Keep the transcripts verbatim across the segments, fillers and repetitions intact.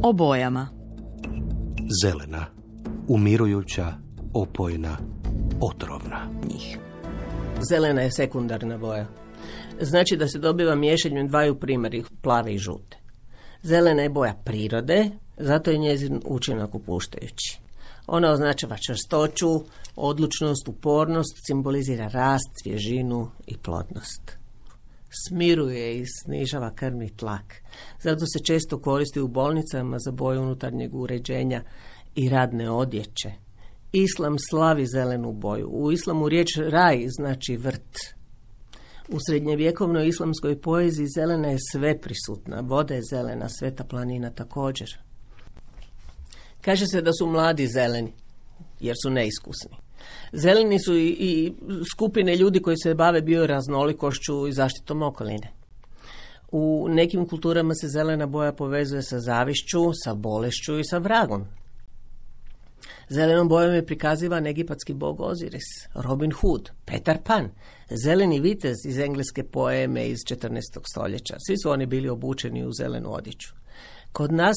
O bojama. Zelena, umirujuća, opojna, otrovna. Njih. Zelena je sekundarna boja. Znači da se dobiva miješanjem dvaju primarnih, plave i žute. Zelena je boja prirode, zato je njezin učinak opuštajući. Ona označava čvrstoću, odlučnost, upornost, simbolizira rast, svježinu i plodnost. Smiruje i snižava krvni tlak. Zato se često koristi u bolnicama za boju unutarnjeg uređenja i radne odjeće. Islam slavi zelenu boju. U islamu riječ raj znači vrt. U srednjevjekovnoj islamskoj poeziji zelena je sve prisutna. Voda je zelena, sveta planina također. Kaže se da su mladi zeleni, jer su neiskusni. Zeleni su i, i skupine ljudi koji se bave bioraznolikošću i zaštitom okoline. U nekim kulturama se zelena boja povezuje sa zavišću, sa bolešću i sa vragom. Zelenom bojom je prikazivan egipatski bog Oziris, Robin Hood, Petar Pan, zeleni vitez iz engleske poeme iz četrnaestog stoljeća. Svi su oni bili obučeni u zelenu odjeću. Kod nas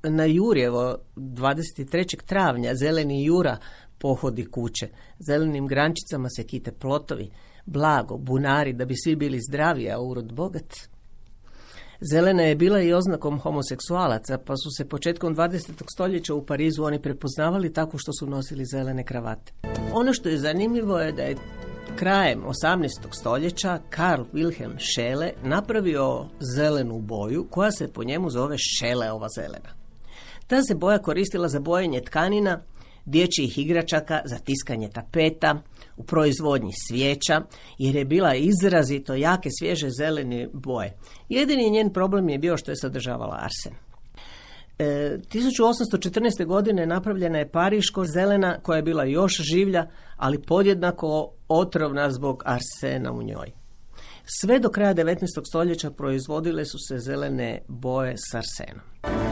na Jurjevo dvadeset trećeg travnja zeleni Jura pohodi kuće. Zelenim grančicama se kite plotovi, blago, bunari, da bi svi bili zdravi, a urod bogat. Zelena je bila i oznakom homoseksualaca, pa su se početkom dvadesetog stoljeća u Parizu oni prepoznavali tako što su nosili zelene kravate. Ono što je zanimljivo je da je krajem osamnaestog stoljeća Karl Wilhelm Scheele napravio zelenu boju koja se po njemu zove Scheeleova zelena. Ta se boja koristila za bojenje tkanina, dječjih igračaka, za tiskanje tapeta, u proizvodnji svijeća, jer je bila izrazito jake svježe zelene boje. Jedini njen problem je bio što je sadržavala arsen. E, tisuću osamsto četrnaeste. godine napravljena je pariško zelena koja je bila još življa, ali podjednako otrovna zbog arsena u njoj. Sve do kraja devetnaestog stoljeća proizvodile su se zelene boje s arsenom.